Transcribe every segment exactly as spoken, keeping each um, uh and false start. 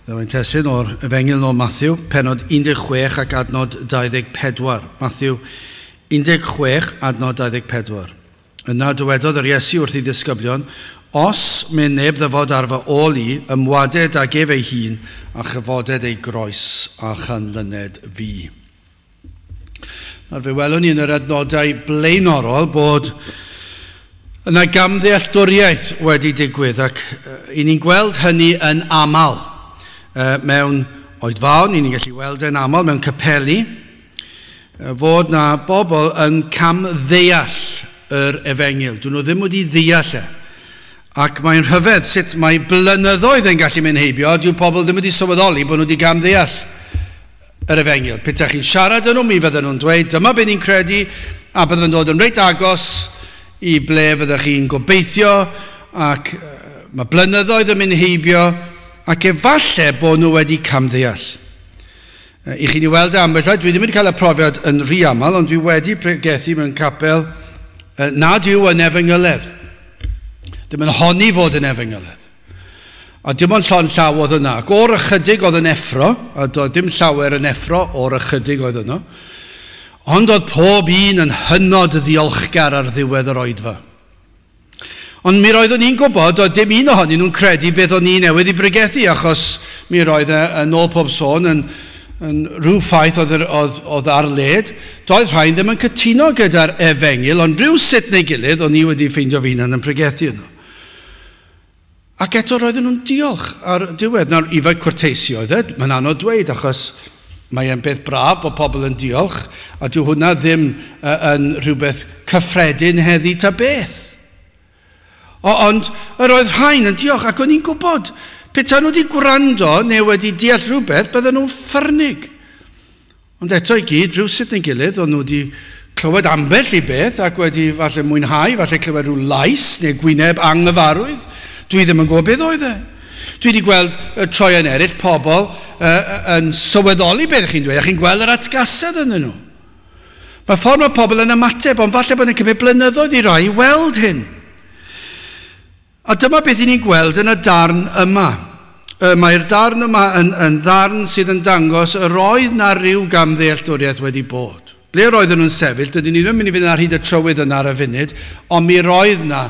Ddewin testun o'r Efengyl o Matthew, pennod un deg chwech ac adnod dau ddeg pedwar. Matthew un deg chwech, adnod dau ddeg pedwar. Yna dywedodd yr Iesu wrth ei ddisgyblion, os myn neb ddyfod ar fy ôl i, ymwaded ag ef ei hun a chyfoded ei groes a chanlyned fi. Nawr fe welwn ni yn yr adnodau blaenorol bod yna gamddealltwriaeth wedi digwydd, ac i ni'n gweld hynny yn aml mewn oedfaon, i ni'n gallu weld yn aml mewn capeli, fod na bobl yn camddeall yr efengyl. Dyn nhw ddim wedi ddeall e. Ac mae'n rhyfedd sut mae blynyddoedd yn gallu mynd heibio, dyw pobl ddim wedi sylweddoli bod nhw wedi gamddeall yr efengyl. Petai chi'n siarad â nhw, mi fydden nhw'n dweud, dyma be ni'n credu, a bydden nhw'n dod yn reit agos i ble fyddech chi'n gobeithio, ac mae blynyddoedd yn mynd heibio, ac efalle bod nhw wedi camddeall. I chi'n ei weld ambell waith, dwi ddim wedi cael y profiad yn rhy aml, ond dwi wedi pregethu mewn capel nad yw yn efengyledd. Ddim yn honni fod yn efengyledd. A dim ond llond llaw oedd yna. Ac o'r ychydig oedd yn effro, a doedd dim llawer yn effro o'r ychydig oedd yno, ond oedd pob un yn hynod ddiolchgar ar ddiwedd yr oedfa. Ond mi roeddwn i'n gwybod, oedd dim un ohonyn nhw'n credu beth o'n i newydd i bregethu, achos mi roedd e, yn ôl pob sôn, yn, yn rhyw ffaith oedd, oedd, oedd ar led. Doedd rhain ddim yn cytuno gyda'r efengyl, ond rhyw sut neu gilydd o'n i wedi ffeindio fy hunan yn pregethu yno. Ac eto roedden nhw'n diolch ar diwedd. Nawr, i fod cwrteisi oedd e, mae'n anodd dweud, achos mae e'n beth braf bod pobl yn diolch, a dyw hwnna ddim uh, yn rhywbeth cyffredin heddi ta beth. O, ond yr oedd rhain yn diolch, ac o'n i'n gwybod, petai nhw wedi gwrando neu wedi deall rhywbeth, bydden nhw'n ffyrnig. Ond eto i gyd, rhywsut neu gilydd, o'n nhw wedi clywed ambell i beth ac wedi falle mwynhau, falle clywed rhyw lais neu gwyneb anghyfarwydd. Dwi ddim yn gwybod beth oedd e. Dwi wedi gweld y troion eraill, pobl uh, yn sylweddoli beth chi'n dweud, a chi'n gweld yr atgasedd ynddyn nhw. Mae ffordd mae pobl yn ymateb, ond falle bod yn cymryd blynyddoedd i rai i weld hyn. A dyma beth i ni'n gweld yn y darn yma. Mae'r darn yma yn, yn ddarn sydd yn dangos yr oedd na ryw gamddealltwriaeth wedi bod. Ble roedden nhw'n sefyll, dydyn ni ddim yn mynd i fynd ar hyd y trywydd yna ar y funud, ond mi roedd na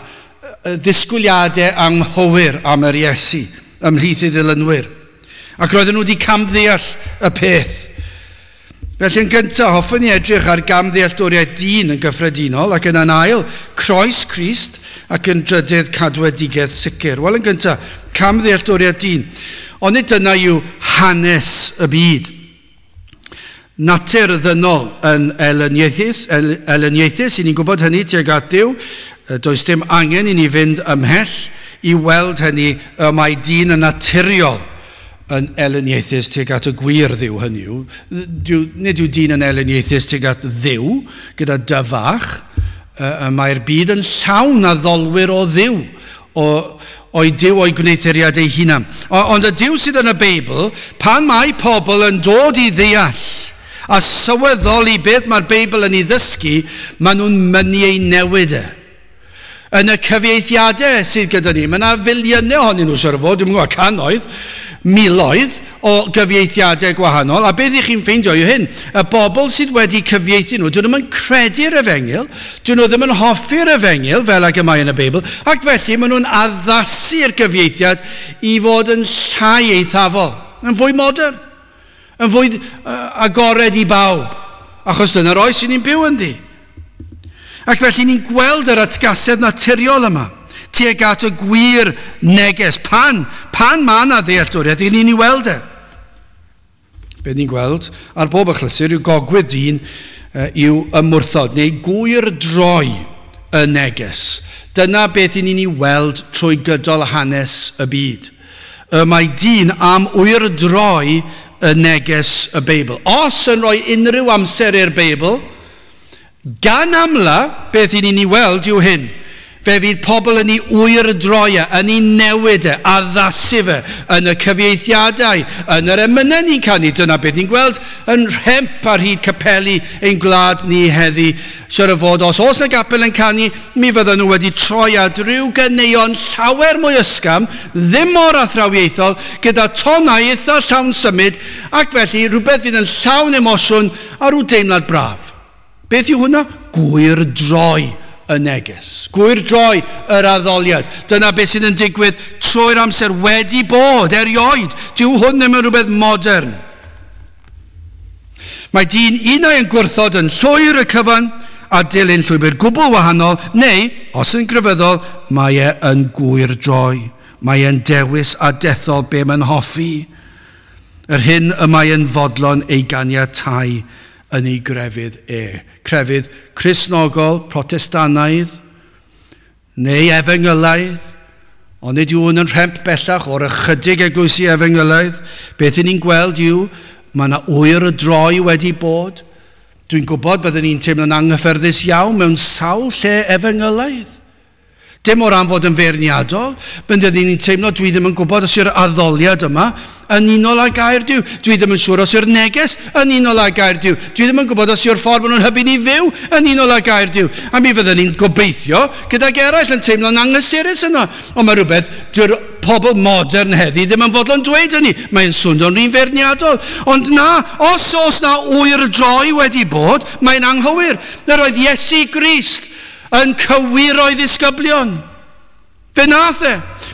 ddisgwyliadau anghywir am yr Iesu ymhlith ei ddilynwyr. Ac roedden nhw wedi camddeall y peth. Felly yn gyntaf, hoffwn ni edrych ar gamddealltwriaeth dyn yn gyffredinol, ac yn ail, croes Crist, ac yn drydydd, cadwedigaeth sicr. Wel, yn gyntaf, camddealltwriaeth dyn. Ond nid dyna yw hanes y byd. Natur ddynol yn elyniaethus, elyniaethus, i ni'n gwybod hynny tuag at Duw. Does dim angen i ni fynd ymhell i weld hynny, y mae dyn yn naturiol yn elyniaethus tuag at y gwir Dduw, hynny yw. Nid yw dyn yn elyniaethus tuag at Dduw gyda dy fach. Mae'r byd yn llawn addolwyr o Dduw, o, o'i Duw o'i gwneuthuriad ei hunan. Ond y Duw sydd yn y Beibl, pan mae pobl yn dod i ddeall a sylweddoli beth mae'r Beibl yn ei ddysgu, maen nhw'n mynnu ei newid e. Yn y cyfieithiadau sydd gyda ni, mae yna filiynau ohonyn nhw, siŵr o fod, dwi'm yn gwybod, cannoedd, miloedd o gyfieithiadau gwahanol, a beth i chi'n ffeindio yw hyn, y bobl sydd wedi cyfieithu nhw, dyn nhw'm yn credu'r efengyl, dyn nhw ddim yn hoffi'r efengyl fel ag y mae yn y Beibl, ac felly maen nhw'n addasu'r gyfieithiad i fod yn llai eithafol, yn fwy modern, yn fwy agored i bawb, achos dyna'r oes sy'n ni'n byw ynddi. Ac felly ni'n gweld yr atgasedd naturiol yma tuag at y gwir neges. Pan, pan mae yna ddealltwriaeth, i ni'n ei weld e. Be ni'n gweld ar bob achlysur yw gogwydd dyn yw ymwrthod neu gwyr droi y neges. Dyna beth i ni'n ei weld trwy gydol hanes y byd. Y mae dyn am wyrdroi y neges y Beibl. Os yn rhoi unrhyw amser i'r Beibl, gan amla, beth i ni'n ei weld yw hyn. fe fydd pobl yn ei wyrdroi e, yn ei newid e, addasu fe, yn y cyfieithiadau, yn yr emynau ni'n canu. Dyna beth ni'n gweld yn rhemp ar hyd capeli ein gwlad ni heddi. Siwr o fod, os oes yna gapel yn canu, mi fydden nhw wedi troi at ryw ganeuon llawer mwy ysgafn, ddim mor athrawiaethol, gyda tonau eitha llawn symud, ac felly rhywbeth fydd yn llawn emosiwn a rhyw deimlad braf. Beth yw hwnna? Gwyrdroi y neges. Gwyrdroi yr addoliad. Dyna beth sydd yn digwydd trwy'r amser wedi bod, erioed. Dyw hwn ddim yn rhywbeth modern. Mae dyn unai yn gwrthod yn llwyr y cyfan a dilyn llwybr gwbl wahanol, neu, os yn grefyddol, mae e yn gwyrdroi. Mae e'n dewis a dethol be mae'n hoffi. Yr hyn y mae e'n fodlon ei ganiatáu yn ei grefydd e. Crefydd Cristnogol, Protestannaidd, neu efengylaidd, ond nid yw hwn yn rhemp bellach o'r ychydig eglwysi efengylaidd. Beth y'n ni'n gweld yw, mae yna wyrdroi wedi bod. Dwi'n gwybod byddwn ni'n teimlo'n anghyffyrddus iawn mewn sawl lle efengylaidd. Dim o ran fod yn feirniadol, byddwn ni'n teimlo dwi ddim yn gwybod os yw'r addoliad yma yn unol â gair Duw. Dwi ddim yn siŵr os yw'r neges yn unol â gair Duw. Dwi ddim yn gwybod os yw'r ffordd maen nhw'n hybu ni fyw yn unol â gair Duw. A mi fyddwn ni'n gobeithio gydag eraill yn teimlo'n anghysurus yno. Ond mae rhywbeth, dyw'r pobl modern heddi ddim yn fodlon dweud hynny. Mae'n swnio'n rhan feirniadol. Ond na, os oes na wyrdroi wedi bod, mae'n anghywir. Yr oedd Iesu Grist yn cywiro ei ddisgyblion. Fe nath e.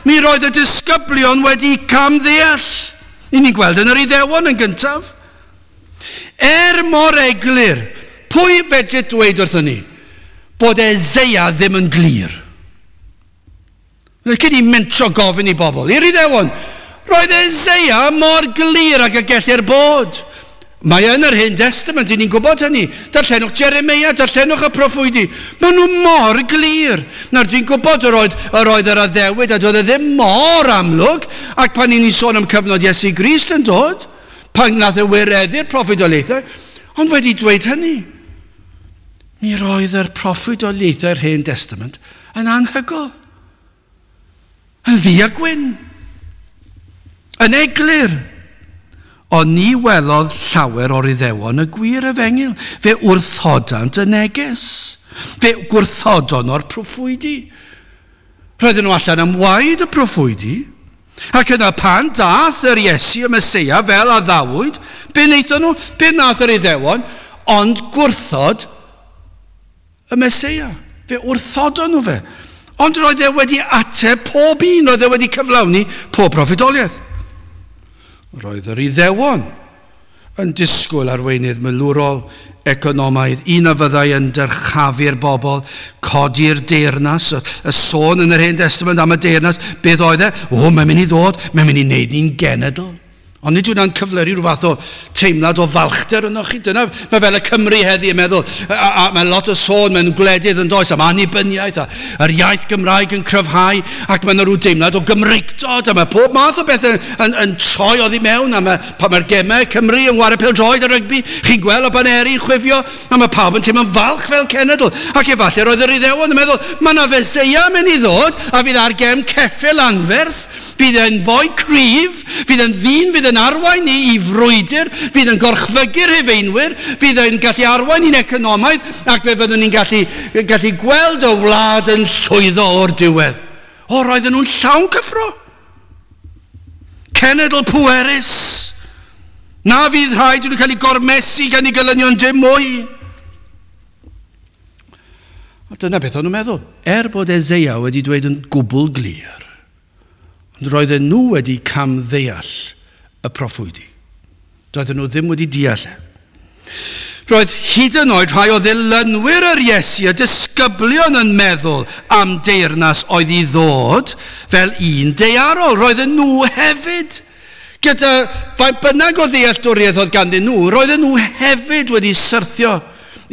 Mi roedd y disgyblion wedi camddeall. I ni'n gweld yn yr Iddewon yn gyntaf. Er mor eglur, pwy fedri dweud wrthon ni bod Eseia ddim yn glir? Cyn i mentro gofyn i bobl, i'r Iddewon, roedd Eseia mor glir ag y gellir bod. Mae yn yr Hen Testament, i ni'n gwybod hynny. Darllenwch Jeremia, darllenwch y proffwydi. Maen nhw mor glir. Nawr, dwi'n gwybod yr oedd yr, oedd yr addewid a doedd e ddim mor amlwg, ac pan ni'n sôn am cyfnod Iesu Grist yn dod, pan nath e wireddu'r proffwydoliaethau, ond wedi dweud hynny, mi roedd yr proffwydoliaethau'r Hen Testament yn anhygoel, yn ddu a gwyn, yn eglur. Ond ni welodd llawer o'r Iddewon y gwir efengyl. Fe wrthodant y neges. Fe gwrthodon o'r proffwydi. Roedden nhw allan am waed y proffwydi. Ac yna pan dath yr Iesu y Meseia fel addawyd, be wnaethon nhw? Be nath yr Iddewon? Ond gwrthod y Meseia. Fe wrthodon nhw fe. Ond roedd e wedi ateb pob un, roedd e wedi cyflawni pob proffwydoliaeth. Roedd yr Iddewon yn disgwyl arweinydd milwrol, economaidd, un a fyddai yn dyrchafu'r bobl, codi'r deyrnas, y, y sôn yn yr Hen Testament am y deyrnas, beth oedd e? O, mae'n mynd i ddod, mae'n mynd i wneud ni'n genedl. Ond nid yw'n cyfleu rhyw fath o teimlad o falchder yno chi. Dyna, mae fel y Cymru heddi yn meddwl, a, a, a mae lot o sôn mewn gwledydd yn does am annibyniaeth, a yr iaith Gymraeg yn cryfhau, ac mae yna rhyw deimlad o Gymreictod, a mae pob math o bethau yn, yn, yn troi oddi mewn, a mae, pan mae'r gemau Cymru yn chwarae pêl-droed a rygbi, chi'n gweld y baneri'n chwifio, a mae pawb yn teimlo'n falch fel cenedl. Ac efallai roedd yr Iddewon yn meddwl, mae yna Feseia mynd i ddod, a fydd ar gefn ceffyl anferth, bydd e'n fwy cryf, fydd e'n ddyn, fydd e'n arwain ni i frwydr, fydd yn gorchfygu'r Rhufeinwyr, fydd e'n gallu arwain ni'n economaidd, ac fe fyddwn ni'n gallu, gallu gweld y wlad yn llwyddo o'r diwedd. O, roedden nhw'n llawn cyffro. Cenedl pwerus. Na fydd rhaid i nhw cael eu gormesu gan eu gelynion dim mwy. A dyna beth o'n nhw'n meddwl. Er bod Eseia wedi dweud yn gwbl glir, ond roedden nhw wedi camddeall y proffwydi. Doedden nhw ddim wedi deall e. Roedd hyd yn oed rhai o ddilynwyr yr Iesu, y disgyblion, yn meddwl am deyrnas oedd i ddod fel un daearol. Roedden nhw hefyd, gyda faint bynnag o ddealltwriaeth oedd ganddyn nhw, roedden nhw hefyd wedi syrthio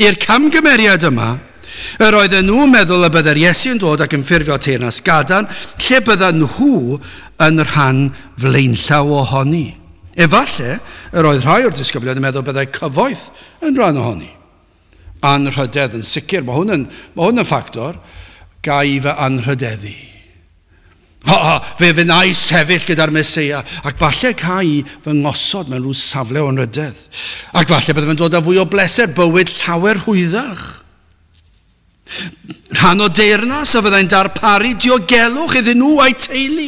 i'r camgymeriad yma. Yr oedden nhw'n meddwl y byddai'r Iesu yn dod ac yn ffurfio teyrnas gadarn, lle byddan nhw yn rhan flaenllaw ohoni. Efallai, yr oedd rhai o'r disgyblion yn meddwl byddai cyfoeth yn rhan ohoni. Anrhydedd yn sicr, mae hwn yn, mae hwn yn ffactor. Ga i fy anrhydeddu. Ha, ha, fe wna i sefyll gyda'r Meseia, ac falle ca i fy ngosod mewn rhyw safle o anrhydedd. Ac falle bydde fe'n dod â fwy o bleser, bywyd llawer hwyddach. Rhan o deyrnas a fyddai'n darparu diogelwch iddyn nhw a'i teulu.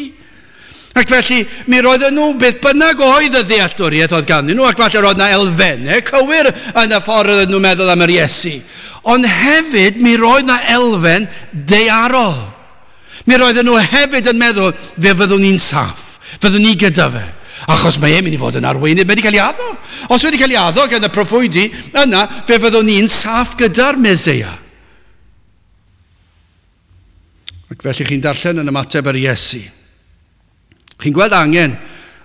Ac felly, mi roedden nhw, beth bynnag oedd y ddealltwriaeth oedd ganddyn nhw, ac falle roedd yna elfennau cywir yn y ffordd oedden nhw'n meddwl am yr Iesu. Ond hefyd, mi roedd yna elfen daearol. Mi roedden nhw hefyd yn meddwl, fe fyddwn ni'n saff, fyddwn ni gyda fe. Achos mae e'n mynd i fod yn arweinydd, mae wedi cael ei addo. Os wedi cael ei addo gan y proffwydi, yna fe fyddwn ni'n saff gyda'r Meseia. Ac felly chi'n darllen yn ymateb yr Iesu. Chi'n gweld angen,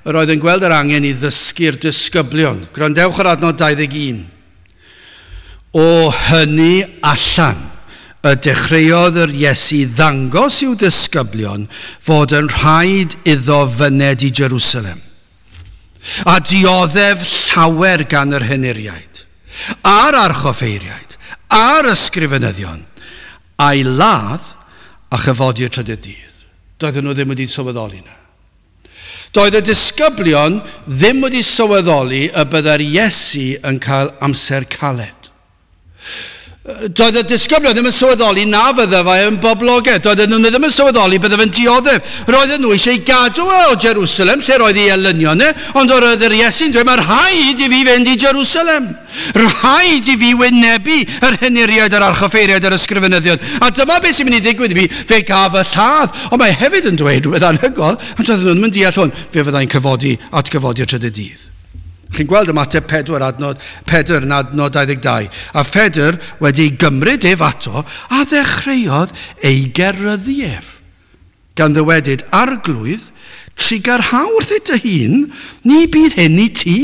yr oedd yn gweld yr angen i ddysgu'r disgyblion. Gwrandewch ar adnod dau ddeg un. O hynny allan, y dechreuodd yr Iesu ddangos i'w ddisgyblion fod yn rhaid iddo fyned i Jerusalem, a dioddef llawer gan yr henuriaid, a'r archoffeiriaid, a'r ysgrifenyddion, a'i ladd a chyfodi y trydydd dydd. Doedden nhw ddim wedi sylweddoli na. Doedd y disgyblion ddim wedi sylweddoli y byddai'r Iesu yn cael amser caled. Doedd y disgyblion ddim yn sylweddoli na fydde fe yn boblogaidd. Doedden nhw ddim yn sylweddoli bydde fe'n dioddef. Roedden nhw eisiau gadw e o Jerusalem, lle roedd ei elynion e, ond roedd yr Iesu'n dweud, mae rhaid i fi fynd i Jerusalem. Rhaid i fi wynebu yr henuriaid, yr archoffeiriaid, yr ysgrifenyddion. A dyma beth sy'n mynd i ddigwydd i fi, fe gaf y lladd. Ond mae hefyd yn dweud rhywbeth anhygoel, ond doedden nhw ddim yn deall hwn, fe fyddai'n cyfodi atgyfodi y trydydd dydd. Chi'n gweld ymateb pedwar adnod, Pedr yn adnod dau ddeg dau. A Phedr wedi gymryd ef ato a ddechreuodd ei geryddu ef. Gan ddywedyd, Arglwydd, trugarha wrthyt dy hun, ni bydd hyn i ti.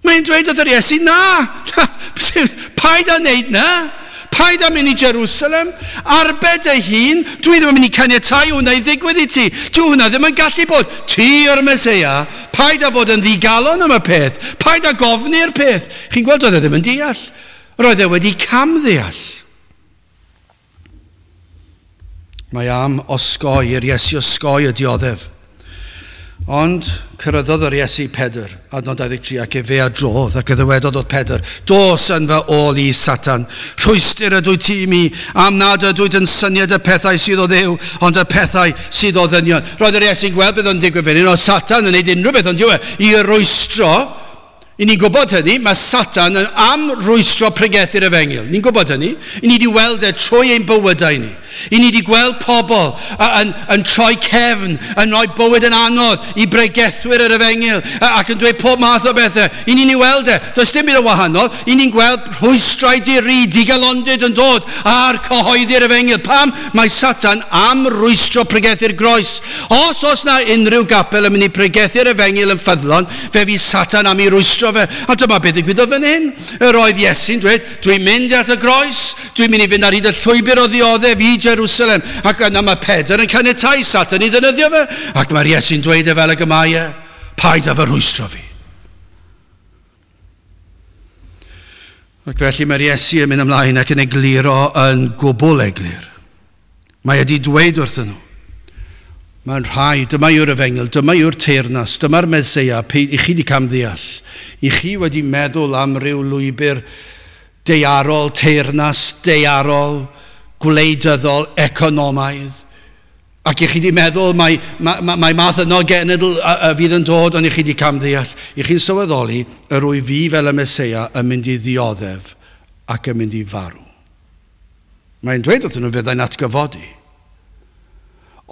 Mae'n dweud wrth yr Iesu, na, paid â wneud na. Paid â mynd i Jerusalem, arbed dy hun, dwi ddim yn mynd i caniatáu hwnna i ddigwydd i ti. Dwi hwnna ddim yn gallu bod. Ti yw'r Meseia, paid â fod yn ddigalon am y peth, paid â gofni'r peth. Chi'n gweld, oedd e ddim yn deall. Roedd e wedi camddeall. Mae am osgoi, yr Iesu osgoi y dioddef. Ond cyrhaeddodd yr Iesu Pedr, adnod dau ddeg tri, ac efe a drodd, ac y ddywedodd wrth Pedr, dos yn fy ôl i, Satan, rhwystr ydwyt ti i mi, am nad ydwyt yn syniad y pethau sydd o Dduw, ond y pethau sydd o ddynion. Roedd yr Iesu'n gweld beth o'n digwydd fan hyn, oedd Satan yn gwneud unrhyw beth, ond dyw e, i rwystro. I ni'n gwybod hynny, mae Satan yn am rwystro pregethu'r efengyl. Ni'n gwybod hynny. I ni wedi weld e trwy ein bywydau ni. I ni wedi gweld pobl yn, yn troi cefn, yn rhoi bywyd yn anodd i bregethwyr yr efengyl ac yn dweud pob math o bethau. I ni'n ei weld e. Does dim byd yn wahanol. I ni'n gweld rhwystrau di-ri, digalondid yn dod ar cyhoeddi'r efengyl. Pam? Mae Satan am rwystro pregethu'r groes. Os oes na unrhyw gapel yn mynd i pregethu'r efengyl yn ffyddlon, fe fydd Satan am ei rwystro fe. A dyma beth ddigwyddodd fan hyn. Yr oedd Iesu'n dweud, dwi'n mynd at y groes, dwi'n mynd i fynd ar hyd y llwybr o ddioddef i Jerusalem. Ac yna mae Pedr yn caniatáu Satan i ddefnyddio fe. Ac mae'r Iesu'n dweud e fel ag y mae e, paid â fy rhwystro fi. Ac felly mae'r Iesu yn mynd ymlaen ac yn egluro yn gwbl eglur. Mae wedi dweud wrthyn nhw, mae'n rhaid, dyma yw'r efengyl, dyma yw'r teyrnas, dyma'r Meseia, i chi wedi camddeall. I chi wedi meddwl am ryw lwybr daearol, teyrnas daearol, gwleidyddol, economaidd. Ac i chi wedi meddwl mae, mae, mae math yno genedl a, a fydd yn dod, ond i chi wedi camddeall. I chi'n sylweddoli, yr wyf fi fel y Meseia yn mynd i ddioddef ac yn mynd i farw. Mae'n dweud wrthyn nhw fyddai'n atgyfodi.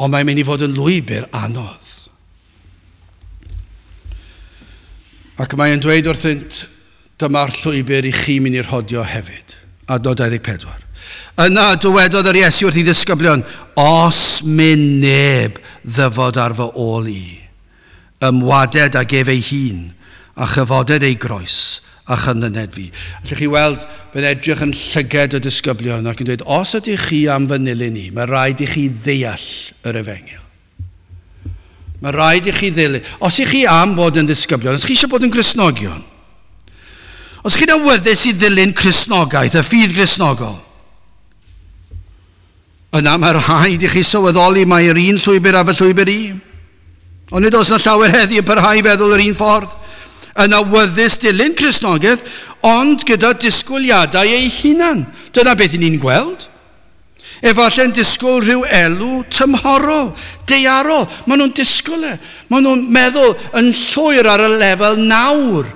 Ond mae'n mynd i fod yn lwybr anodd. Ac mae'n dweud wrthynt, dyma'r llwybr i chi mynd i'r rhodio hefyd. Adnod dau ddeg pedwar. Yna dywedodd yr Iesu wrth ei ddisgyblion, os myn neb ddyfod ar fy ôl i, ymwaded ag ef ei hun, a chyfoded ei groes, a chynlyned fi. Allwch chi weld fe'n edrych yn llyged y disgyblion ac yn dweud, os ydych chi am fy nilyn i, mae rhaid i chi ddeall yr efengyl. Mae rhaid i chi ddilyn. Os ych chi am fod yn ddisgyblion, os chi eisiau bod yn Gristnogion, os chi'n awyddus i ddilyn Cristnogaeth, y ffydd Gristnogol, Yna mae rhaid i chi sylweddoli mae'r un llwybr a fy llwybr i. Ond nid oes yna llawer heddi yn parhau i feddwl yr un ffordd. Yn awyddus dilyn Cristnogaeth, ond gyda disgwyliadau ei hunan. Dyna beth i ni'n gweld. Efallai'n disgwyl rhyw elw tymhorol, daearol. Maen nhw'n disgwyl e. Maen nhw'n meddwl yn llwyr ar y lefel nawr,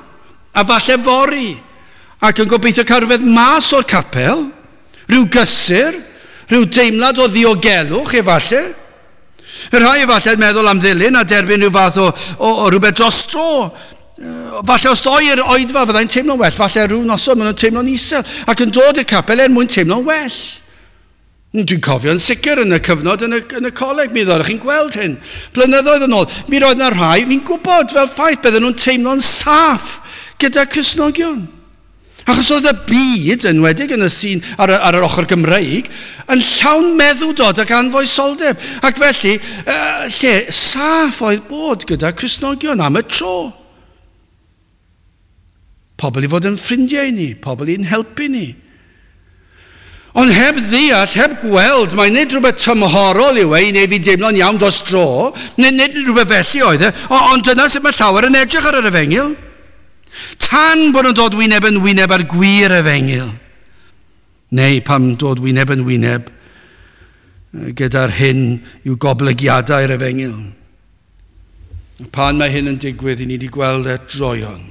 a falle fory. Ac yn gobeithio cael rhywbeth mas o'r capel, rhyw gysur, rhyw deimlad o ddiogelwch efallai. Y rhai efallai'n meddwl am ddilyn a derbyn rhyw fath o, o, o rhywbeth dros dro. Falle os doi i'r oedfa fyddai'n teimlo'n well, falle rhyw noson maen nhw'n teimlo'n isel ac yn dod i'r capel er mwyn teimlo'n well. Dwi'n cofio'n sicr yn y cyfnod yn y, yn y coleg, mi ddoedd chi'n gweld hyn. Blynyddoedd yn ôl, mi roedd yna rhai, fi'n gwybod fel ffaith, bydden nhw'n teimlo'n saff gyda Cristnogion. Achos oedd y byd, enwedig yn y sîn ar, ar yr ochr Gymreig, yn llawn meddwdod ac anfoesoldeb. Ac felly, uh, lle saff oedd bod gyda Cristnogion am y tro. Pobl i fod yn ffrindiau ni, pobl i'n helpu ni. Ond heb ddeall, heb gweld, mae nid rhywbeth tymhorol yw e i neu fi deimlo'n iawn dros dro, nid, nid rhywbeth felly oedd e, ond dyna sut mae llawer yn edrych ar yr efengyl. Tan bod nhw'n dod wyneb yn wyneb ar gwir efengyl. Neu pam dod wyneb yn wyneb gyda'r hyn yw goblygiadau'r efengyl. Pan mae hyn yn digwydd, i ni wedi gweld e droeon.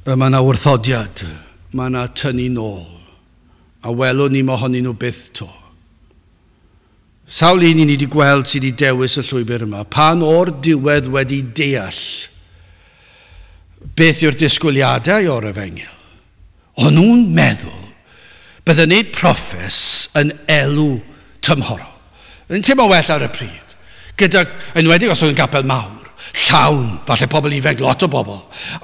Mae yna wrthodiad, mae yna tynnu nôl, a welwn ni mohonyn nhw byth to. Sawl un i ni wedi gweld sydd wedi dewis y llwybr yma, pan o'r diwedd wedi deall beth yw'r disgwyliadau o'r efengyl, o'n nhw'n meddwl bydde wneud proffes yn elw tymhorol. Yn teimlo well ar y pryd, gyda, enwedig os oedd yn gapel mawr, llawn, falle pobl ifanc, lot o bobl.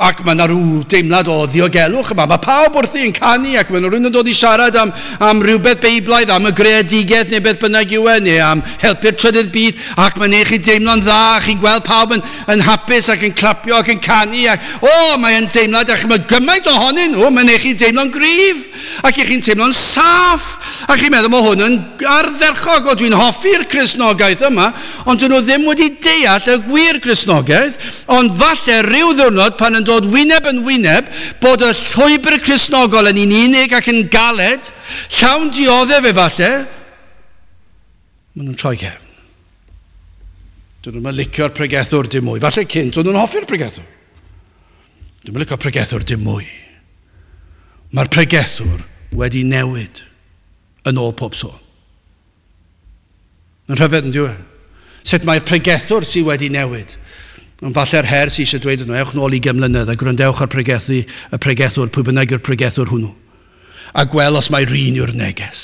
Ac mae yna rhyw deimlad o ddiogelwch yma. Mae pawb wrthi yn canu ac mae rhywun yn dod i siarad am, am rhywbeth beiblaidd, am y greadigaeth neu beth bynnag yw e, neu am helpu'r trydydd byd, ac mae'n eich chi deimlo'n dda, chi'n gweld pawb yn, yn hapus ac yn clapio ac yn canu. Ac, o, mae'n deimlad, ac mae gymaint ohonyn nhw, mae'n eich chi deimlo'n gryf, ac eich chi'n teimlo'n saff, ac chi'n meddwl mae hwn yn ardderchog, o dwi'n hoffi'r Cristnogaeth yma, ond dyn nhw ddim wedi deall y gwir Cristnogaeth. Ond falle rhyw ddiwrnod pan yn dod wyneb yn wyneb bod y llwybr Cristnogol yn un unig ac yn galed, llawn dioddef efallai, maen nhw'n troi cefn. Dyn nhw'n licio'r pregethwr dim mwy. Falle cynt, dyn nhw'n hoffi'r pregethwr. Dyn nhw'n licio'r pregethwr dim mwy. Mae'r pregethwr wedi newid yn ôl pob sôn. Yn rhyfedd yn dyw e? Sut mae'r pregethwr sydd wedi newid? Ond falle'r her sydd eisiau dweud yno, ewch nôl i gymlynedd a gwrandewch ar pregethu, y pregethwr, pwy bynnag yw'r pregethwr hwnnw. A gweld os mae rhan yw'r neges.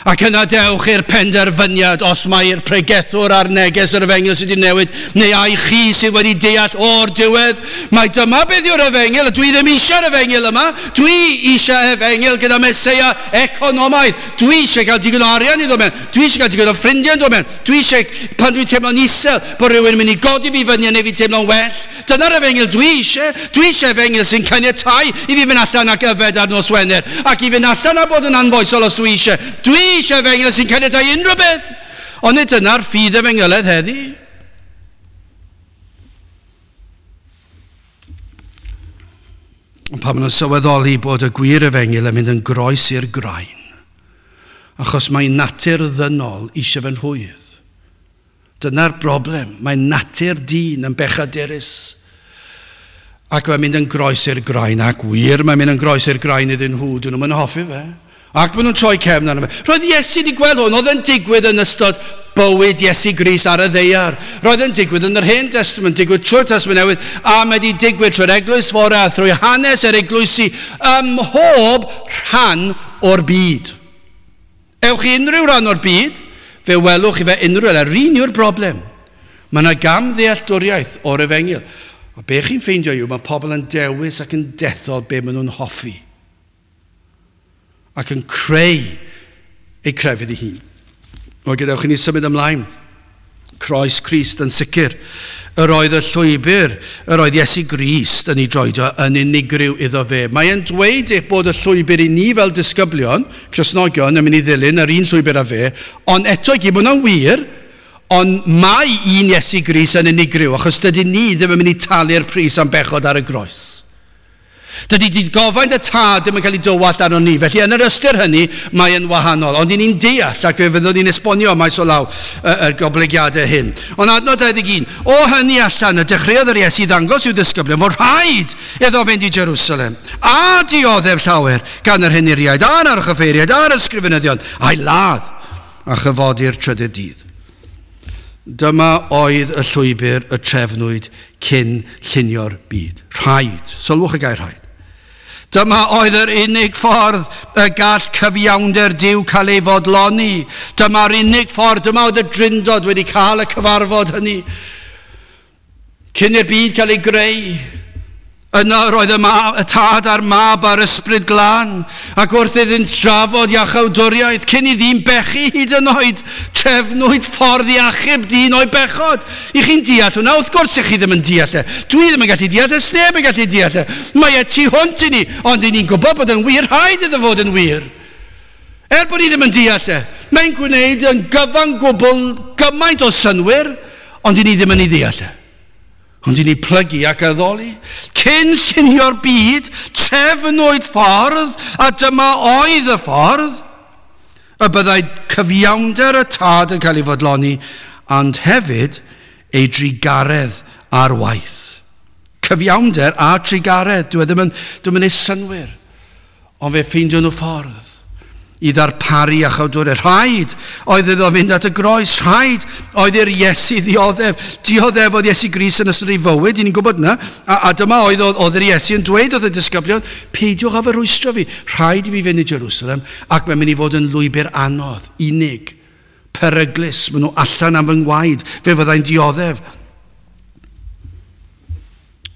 Ac yna dewch i'r penderfyniad os mae'r pregethwr a'r neges yr efengyl sydd wedi newid, neu ai chi sydd wedi deall o'r diwedd, mae dyma beth yw'r efengyl, dwi ddim eisiau'r efengyl yma, dwi eisiau efengyl gyda Meseia economaidd, dwi eisiau cael digon o arian i ddod mewn, dwi eisiau cael digon o ffrindiau yn dod mewn, dwi eisiau, pan dwi'n teimlo'n isel, bod rhywun yn mynd i godi fi fyny a neu fi teimlo'n well. Dyna'r efengyl dwi eisiau, dwi eisiau efengyl sy'n caniatáu i fi fynd allan ac yfed ar nos Wener, ac i fynd allan a bod yn anfoesol os dwi eisiau. Dwi eisiau efengyl sy'n caniatáu unrhyw beth. Ond nid dyna'r ffydd efengylaidd heddi. Ond pan maen nhw'n sylweddoli bod y gwir efengyl yn mynd yn groes i'r graen, achos mae natur ddynol eisiau fe'n rhwydd. Dyna'r broblem. Mae natur dyn yn bechadurus. Ac mae'n mynd yn groes i'r graen, ac wir mae'n mynd yn groes i'r graen iddyn nhw, dyn nhw'n hoffi fe. Ac maen nhw'n troi cefn arno fe. Roedd Iesu wedi gweld hwn, oedd yn digwydd yn ystod bywyd Iesu Grist ar y ddaear. Roedd yn digwydd yn yr Hen Testament, digwydd trwy'r Testament Newydd, a mae wedi digwydd trwy'r Eglwys Fore a thrwy hanes yr eglwysi ym mhob rhan o'r byd. Ewch i unrhyw ran o'r byd, fe welwch chi fe unrhyw le. Yr un yw'r broblem. Mae yna gam ddealltwriaeth o'r efengyl. A be chi'n ffeindio yw, mae pobl yn dewis ac yn dethol be maen nhw'n hoffi. Ac yn creu eu crefydd ei hun. O, gadewch i ni symud ymlaen. Croes Crist yn sicr Yr oedd y llwybr, yr oedd Iesu Grist yn ei droedio yn unigryw iddo fe. Mae e'n dweud eich bod y llwybr i ni fel disgyblion, Cristnogion, yn mynd i ddilyn yr un llwybr â fe, ond eto i gyd, mae hwnna'n wir, ond mae un Iesu Grist yn unigryw, achos dydy ni ddim yn mynd i talu'r pris am bechod ar y groes. Dydy digofaint y tad ddim yn cael ei dywallt arno ni. Felly yn yr ystyr hynny, mae yn wahanol. Ond i ni'n deall, ac fe fyddwn ni'n esbonio maes o law y, y goblygiadau hyn. Ond adnod dau ddeg un, o hynny allan y dechreuodd yr Iesu ddangos i'w ddisgyblion fod rhaid iddo fynd i Jerusalem a dioddef llawer gan yr henuriaid a'r archoffeiriaid a'r ysgrifenyddion a'i ladd a chyfodi'r trydydd dydd. Dyma oedd y llwybr y trefnwyd cyn llunio'r byd. Rhaid, sylwch y gair rhaid. Dyma oedd yr unig ffordd y gall cyfiawnder Duw cael ei fodloni. Dyma'r unig ffordd, dyma oedd y Drindod wedi cael y cyfarfod hynny. Cyn i'r byd cael ei greu, yno roedd y, ma, y tad a'r mab a'r ysbryd glân, ac wrth iddynt drafod iachawdwriaeth, cyn i ddyn bechu hyd yn oed, trefnwyd ffordd i achub dyn o'i bechod. I chi'n deall hwnna? Wrth gwrs i chi ddim yn deall e. Dwi ddim yn gallu deall e, sneb yn gallu deall e. Mae e tu hwnt i ni, ond i ni'n gwybod bod yn wir, rhaid iddo fod yn wir. Er bod ni ddim yn deall e, mae'n gwneud yn gyfan gwbl gymaint o synnwyr, ond i ni ddim yn ei ddeall e. Ond i ni plygu ac addoli. Cyn llunio'r byd, trefnwyd ffordd, a dyma oedd y ffordd, y byddai cyfiawnder y tad yn cael ei fodloni, ond hefyd ei drugaredd ar waith. Cyfiawnder a trugaredd, dwi ddim yn, ddim yn ei synnwyr, ond fe ffeindio nhw ffordd i ddarparu iachawdwriaeth. Rhaid oedd iddo fynd at y groes, rhaid oedd i'r Iesu ddioddef. Dioddef oedd Iesu Grist yn ystod ei fywyd, i ni'n gwybod yna. A, a dyma oedd, oedd yr Iesu yn dweud wrth y disgyblion, peidiwch â fy rwystro fi, rhaid i fi fynd i Jerusalem, ac mae'n mynd i fod yn lwybr anodd, unig, peryglus, maen nhw allan am fy ngwaed, fe fyddai'n dioddef.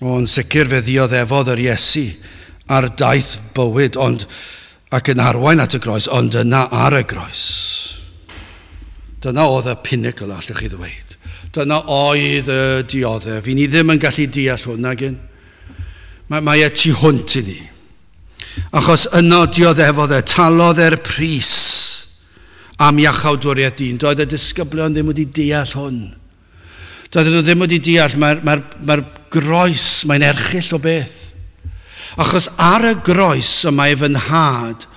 O'n sicr fe ddioddefodd yr Iesu ar daith bywyd, ond ac yn arwain at y groes, ond yna ar y groes. Dyna oedd y pinnacle, allwch chi ddweud. Dyna oedd y dioddef. I ni ddim yn gallu deall hwn, nag yn. Mae, mae e tu hwnt i ni. Achos yno dioddefodd e, talodd e'r pris am iachawdwriaeth dyn. Doedd y disgyblion ddim wedi deall hwn. Doedd nhw ddim wedi deall, mae'r mae, mae groes, mae'n erchyll o beth. Achos ar y groes y mae fy nhad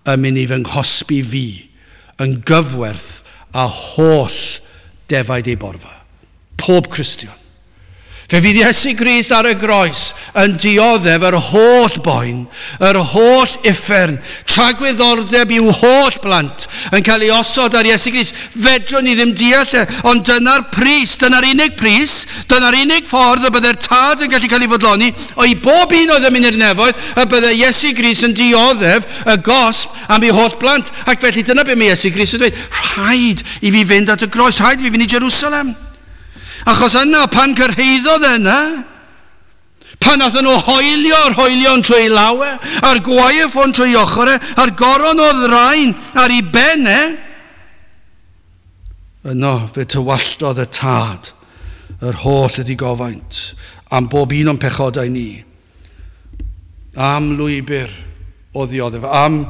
yn mynd i fy nghosbi fi yn gyfwerth a holl defaid ei borfa. Pob Cristion. Fe fydd Iesu Grist ar y groes yn dioddef yr holl boen, yr holl uffern, tragwyddordeb i'w holl blant yn cael ei osod ar Iesu Grist. Fedrwn ni ddim deall e, ond dyna'r pris, dyna'r unig pris, dyna'r unig ffordd y byddai'r tad yn gallu cael ei fodloni, o i bob un oedd yn mynd i'r nefoedd, y byddai Iesu Grist yn dioddef y gosb am ei holl blant. Ac felly dyna be mae Iesu Grist yn dweud, rhaid i fi fynd at y groes, rhaid i fi fynd i Jerusalem. Achos yna, pan cyrhaeddodd yna, pan nathon nhw hoelio'r hoelion trwy lawe, a'r gwaywffon trwy ochr e, a'r goron o ddrain ar ei ben e, yno fe tywalltodd y tad yr holl ddigofaint am bob un o'n pechodau ni, am lwybr o ddioddef, am,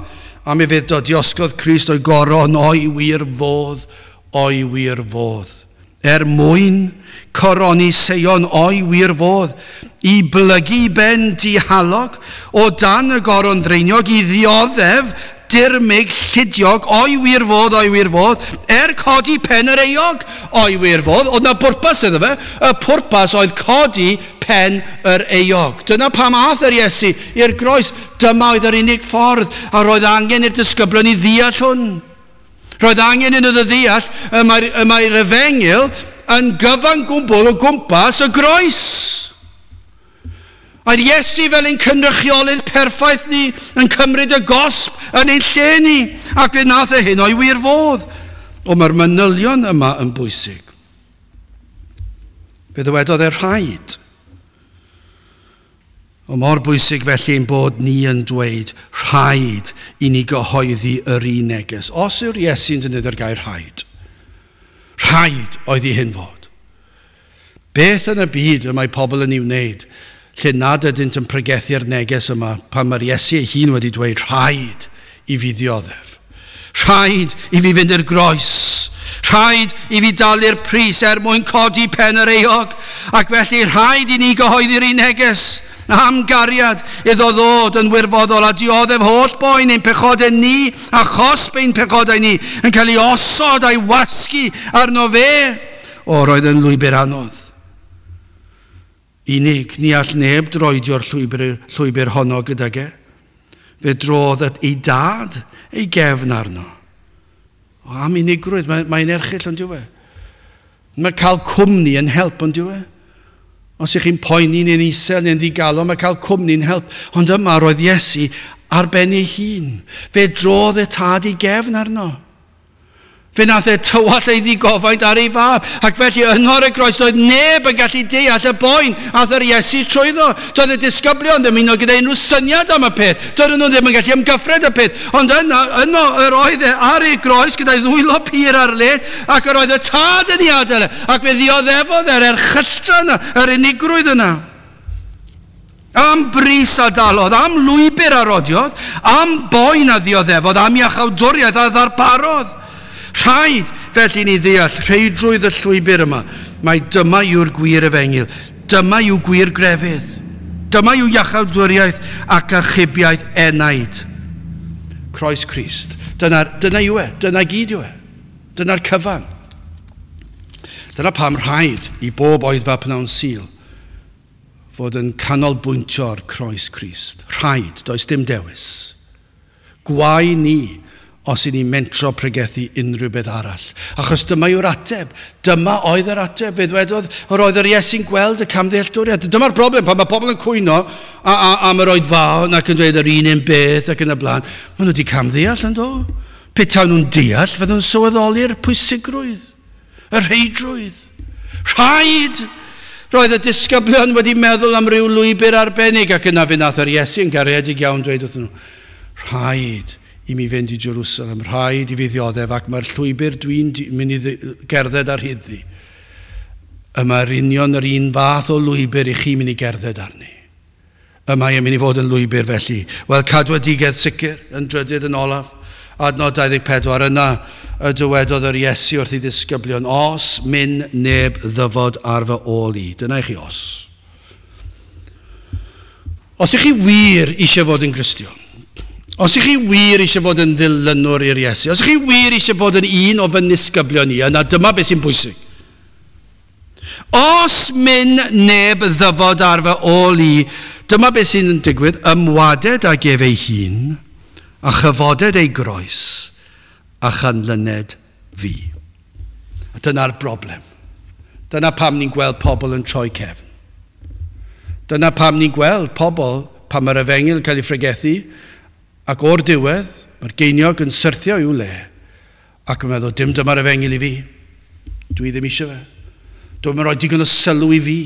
am ufudd-dod, diosgodd Crist o'i goron o'i wir fodd, o'i wir fodd. Er mwyn coroni Seion o'i wir fodd, i blygu ben dihalog, o dan y goron dreiniog, i ddioddef dirmyg llidiog o'i wir fodd, o'i wir fodd, er codi pen yr euog o'i wir fodd. Oedd na bwrpas iddo fe, y pwrpas oedd codi pen yr euog. Dyna pam ath yr Iesu i'r groes. Dyma oedd yr unig ffordd, a roedd angen i'r disgyblion i ddeall hwn. Roedd angen iddo ddeall y mae'r, y mae'r efengyl yn gyfan gwbl o gwmpas y groes. A'r Iesu fel ein cynrychiolydd perffaith ni yn cymryd y gosb yn ein lle ni, ac fe nath e hyn o'i wir fodd. O, mae'r manylion yma yn bwysig. Fe ddywedodd e rhaid. O mor bwysig felly ein bod ni yn dweud rhaid i ni gyhoeddi yr un neges. Os yw'r Iesu'n defnyddio'r gair rhaid, rhaid oedd i hyn fod. Beth yn y byd y mae pobl yn ei wneud lle nad ydynt yn pregethu'r neges yma pan mae'r Iesu ei hun wedi dweud rhaid i fi ddioddef. Rhaid i fi fynd i'r groes. Rhaid i fi dalu'r pris er mwyn codi pen yr euog. Ac felly rhaid i ni gyhoeddi'r un neges am gariad iddo ddod yn wirfoddol a dioddef holl boen ein pechodau ni a chosb ein pechodau ni yn cael ei osod a'i wasgu arno fe. O, roedd yn lwybr anodd. Unig, ni all neb droedio'r llwybr, llwybr honno gydag e. Fe drodd at ei dad ei gefn arno. O, am unigrwydd, mae'n mae erchyll ond yw e. Mae cael cwmni yn help ond yw e. Os ych chi'n poeni neu'n isel neu'n ddigalon, mae cael cwmni'n help. Ond yma roedd Iesu ar ben ei hun. Fe drodd y tad ei gefn arno. Fe nath e tywallt ei ddigofaint ar ei fab. Ac felly yno ar y groes doedd neb yn gallu deall y boen ath yr Iesu trwyddo. Doedd y disgyblion ddim un o gyda unrhyw syniad am y peth. Doedd nhw ddim yn gallu ymgyffred y peth. Ond yno, yno yr oedd e ar ei groes gyda'i ddwylo pur ar led ac yr oedd y tad yn ei adael e. Ac fe ddioddefodd e'r erchylltra yna, yr unigrwydd yna. Am bris a dalodd, am lwybr a rodiodd, am boen a ddioddefodd, am iachawdwriaeth a ddarparodd. Rhaid felly ni ddeall rheidrwydd y llwybr yma. Mae dyma yw'r gwir efengyl. Dyma yw gwir grefydd. Dyma yw iachawdwriaeth ac achubiaeth enaid. Croes Crist. Dyna, dyna yw e. Dyna gyd yw e. Dyna'r cyfan. Dyna pam rhaid i bob oedfa pnawn Sul fod yn canolbwyntio'r croes Crist. Rhaid, does dim dewis. Gwae ni os i ni mentro pregethu unrhyw beth arall. Achos dyma yw'r ateb. Dyma oedd yr ateb. Fe ddwedodd, yr oedd yr Iesu'n gweld y camddealltwriaeth. Dyma'r broblem, pan mae pobl yn cwyno a, a, am yr oedfaon ac yn dweud yr un un beth ac yn y blaen, maen nhw wedi camddeall yn do. Petawn nhw'n deall, fydden nhw'n sylweddoli'r pwysigrwydd, y rheidrwydd. Rhaid! Roedd y disgyblion wedi meddwl am ryw lwybr arbennig ac yna fe nath yr Iesu yn garedig iawn dweud wrthyn nhw, rhaid i mi fynd i Jerusalem, rhaid i fi ddioddef ac mae'r llwybr dwi'n mynd i gerdded ar hyd-ddi. Y mae'r union yr un fath o lwybr i chi mynd i gerdded arni. Y mae yn mynd i fod yn lwybr felly. Wel, cadwedigaeth sicr yn drydydd yn olaf. Adnod dau ddeg pedwar, yna y dywedodd yr Iesu wrth ei ddisgyblion, os myn neb ddyfod ar fy ôl i. Dyna i chi os. Os ych chi wir eisiau fod yn Gristion, os ych chi wir eisiau fod yn ddilynwr i'r Iesu, os ych chi wir eisiau bod yn un o fy nisgyblion i, yna dyma beth sy'n bwysig. Os myn neb ddyfod ar fy ôl i, dyma beth sy'n digwydd, ymwaded ag ef ei hun, a chyfoded ei groes, a chanlyned fi. A dyna'r broblem. Dyna pam ni'n gweld pobl yn troi cefn. Dyna pam ni'n gweld pobl, pan mae'r efengyl yn cael ei phregethu, ac o'r diwedd, mae'r geiniog yn syrthio i'w le, ac yn meddwl, dim dyma'r efengyl i fi. Dwi ddim eisiau fe. Dwi'n rhoi digon o sylw i fi.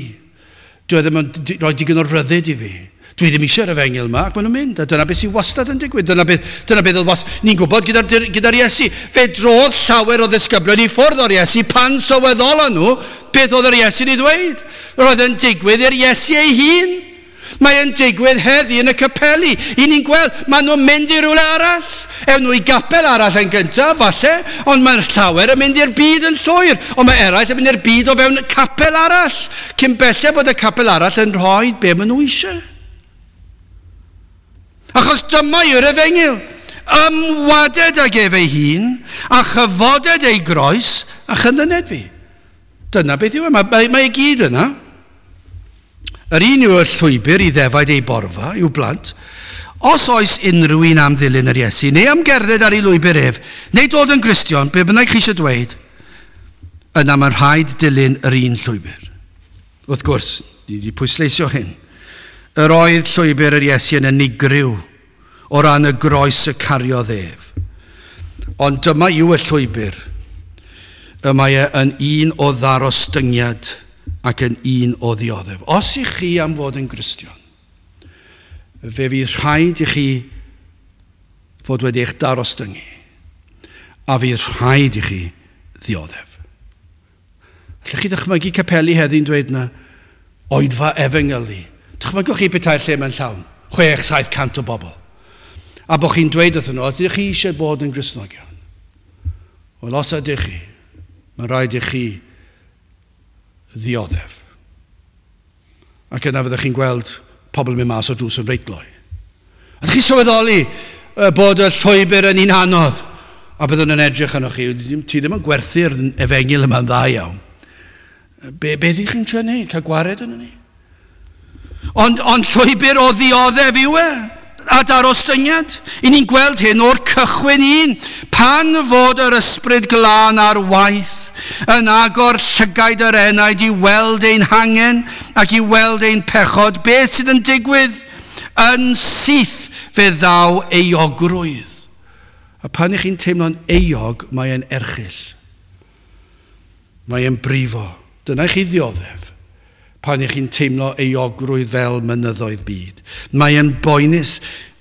Dwi ddim yn rhoi digon o ryddid i fi. Dwi ddim eisiau'r efengyl yma, ac maen nhw'n mynd. A dyna beth sy'n wastad yn digwydd. Dyna beth, dyna beth oedd wastad. Ni'n gwybod gyda'r gyda Iesu. Fe drodd llawer o ddisgyblion i ffwrdd o'r Iesu pan sylweddolon nhw beth oedd yr Iesu'n ei ddweud. Roedd yn digwydd i'r Iesu ei hun. Mae yn digwydd heddi yn y capeli. I ni'n gweld, maen nhw'n mynd i rywle arall. Ewn nhw i gapel arall yn gyntaf, falle, ond mae'n llawer yn mynd i'r byd yn llwyr. Ond mae eraill yn mynd i'r byd o fewn capel arall. Cyn belled bod y capel arall yn rhoi be maen nhw eisiau. Achos dyma yw'r efengyl. Ymwaded ag ef ei hun, a chyfoded ei groes, a chynlyned fi. Dyna beth yw e. Mae, mae, mae i gyd yna. Yr un yw'r llwybr i ddefaid ei borfa, i'w blant. Os oes unrhyw un am ddilyn yr Iesu, neu am gerdded ar ei lwybr ef, neu dod yn Gristion, be bynnag chi eisiau dweud, yna mae'n rhaid dilyn yr un llwybr. Wrth gwrs, ni wedi pwysleisio hyn. Yr oedd llwybr yr Iesu yn unigryw o ran y groes y cariodd ef. Ond dyma yw y llwybr. Y mae e yn un o ddarostyngiad ac yn un o ddioddef. Os ych chi am fod yn Gristion, fe fydd rhaid i chi fod wedi eich darostyngu, a fydd rhaid i chi ddioddef. Allwch chi ddychmygu capeli heddi'n dweud na oedfa efengylu. Dychmygwch chi petai'r lle mewn llawn, chwech, saith cant o bobl. A bod chi'n dweud wrthyn nhw, ydych chi eisiau bod yn Gristnogion? Wel, os ydych chi, mae rhaid i chi ddioddef. Ac yna fyddwch chi'n gweld pobl yn mynd mas o drws yn reit gloi. Ydych chi'n sylweddoli bod y llwybr yn un anodd? A byddwn yn edrych arnoch chi, ti ddim yn gwerthu'r efengyl yma'n dda iawn. Be, be ydych chi'n trio wneud? Cael gwared yn ni? Ond, ond llwybr o ddioddef yw e, a darostyngiad. I ni'n gweld hyn o'r cychwyn un. Pan fod yr ysbryd glân ar waith yn agor llygaid yr enaid i weld ein hangen ac i weld ein pechod, beth sydd yn digwydd? Yn syth fe ddaw euogrwydd. A pan ych chi'n teimlo'n euog, mae'n erchyll. Mae'n brifo. Dyna i chi ddioddef. Pan ych chi'n teimlo euogrwydd fel mynyddoedd byd. Mae'n boenus.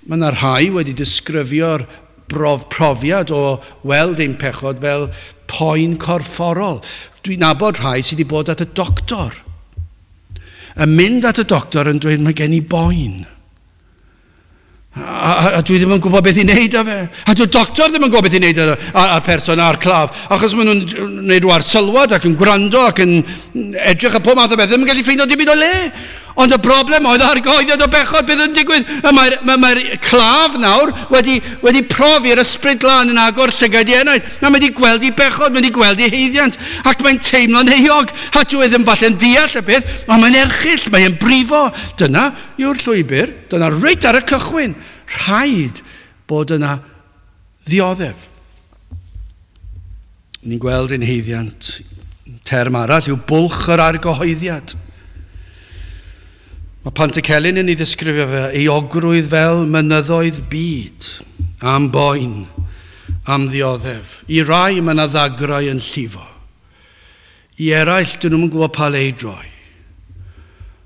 Mae yna rhai wedi disgrifio'r brof, profiad o weld ein pechod fel poen corfforol. Dwi'n nabod rhai sydd wedi bod at y doctor. Yn mynd at y doctor yn dweud, mae gen i boen. A, a, a dwi ddim yn gwybod beth i wneud â fe. A dyw'r doctor ddim yn gwybod beth i wneud â'r person a'r claf. Achos maen nhw'n gwneud rhyw arsylwad ac yn gwrando ac yn edrych ar pob math o beth. Ddim yn gallu ffeindio dim byd o le. Ond y broblem oedd argyhoeddiad o bechod, beth yn digwydd. Mae'r mae, mae claf nawr wedi, wedi profi'r ysbryd glân yn agor llygaid i enaid. A mae wedi gweld ei bechod, mae wedi gweld ei haeddiant. Ac mae'n teimlo'n euog. A dyw e ddim falle'n deall y peth, ond mae'n erchyll, mae'n brifo. Dyna yw'r llwybr, dyna reit ar y cychwyn. Rhaid bod yna ddioddef. Ni'n gweld ein haeddiant. Term arall yw bwlch yr argyhoeddiad. Mae Pantycelyn yn ei ddisgrifio fe, euogrwydd fel mynyddoedd byd, am boen, am ddioddef. I rai mae yna ddagrau yn llifo. I eraill, dyn nhw'n gwybod pa le i droi.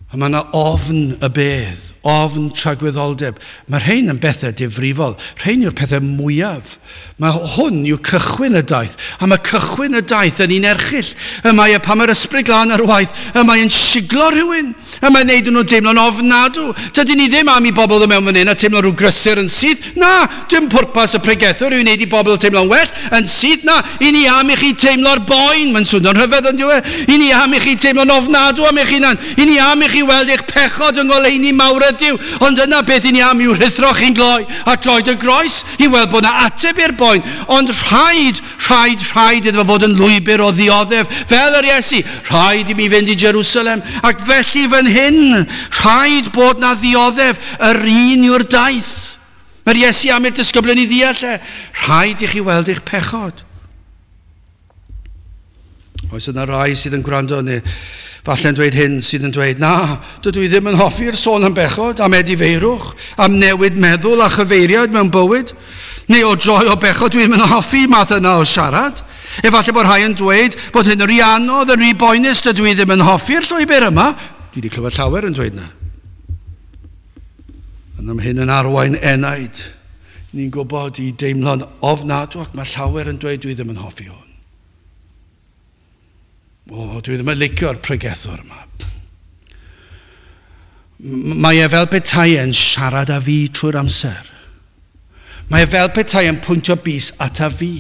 A mae yna ofn y bedd, ofn tragwyddoldeb. Mae rhain yn bethau difrifol. Rhain yw'r pethau mwyaf. Mae hwn yw cychwyn y daith. A mae cychwyn y daith yn un erchyll. Y mae e pan mae'r ysbryd glân ar waith, y mae e'n siglo rhywun. Y mae'n neud nhw deimlo'n ofnadw. Dydyn ni ddim am i bobl ddod mewn fan hyn a teimlo rhyw grysur yn syth. Na, dim pwrpas y pregethwr yw i wneud i bobl teimlo'n well yn syth. Na, i ni am i chi teimlo'r boen. Mae'n swnio'n rhyfedd yn dyw e. I ni am i chi teimlo'n ofnadw am eich hunan. I ni am i chi weld eich pechod yng ngoleuni mawr ydyw. Ond yna beth i ni am yw rhuthro chi'n gloi a droed y groes i weld bod yna ateb i'r boen. Ond rhaid, rhaid, rhaid iddo fod yn lwybr o ddioddef. Fel yr Iesu, rhaid i mi fynd i Jerusalem. Ac felly fan hyn, rhaid bod na ddioddef. Yr un yw'r daith. Mae'r Iesu am i'r disgyblion i ddeall e. Rhaid i chi weld eich pechod. Oes yna rai sydd yn gwrando neu falle'n dweud hyn sydd yn dweud, na, dydw i ddim yn hoffi'r sôn am bechod, am edifeirwch, am newid meddwl a chyfeiriad mewn bywyd, neu o droi o bechod, dwi ddim yn hoffi math yna o siarad. Efallai bod rhai yn dweud bod hyn yn rhy anodd, yn rhy boenus, dydw i ddim yn hoffi'r llwybr yma. Dwi wedi clywed llawer yn dweud na. Ond am hyn yn arwain enaid, ni'n gwybod i deimlo'n ofnadw, ac mae llawer yn dweud dwi ddim yn hoffi hwn. O, dwi ddim yn licio'r pregethwr yma. Mae e fel petai e'n siarad â fi trwy'r amser. Mae e fel petai e'n pwyntio bys ata fi.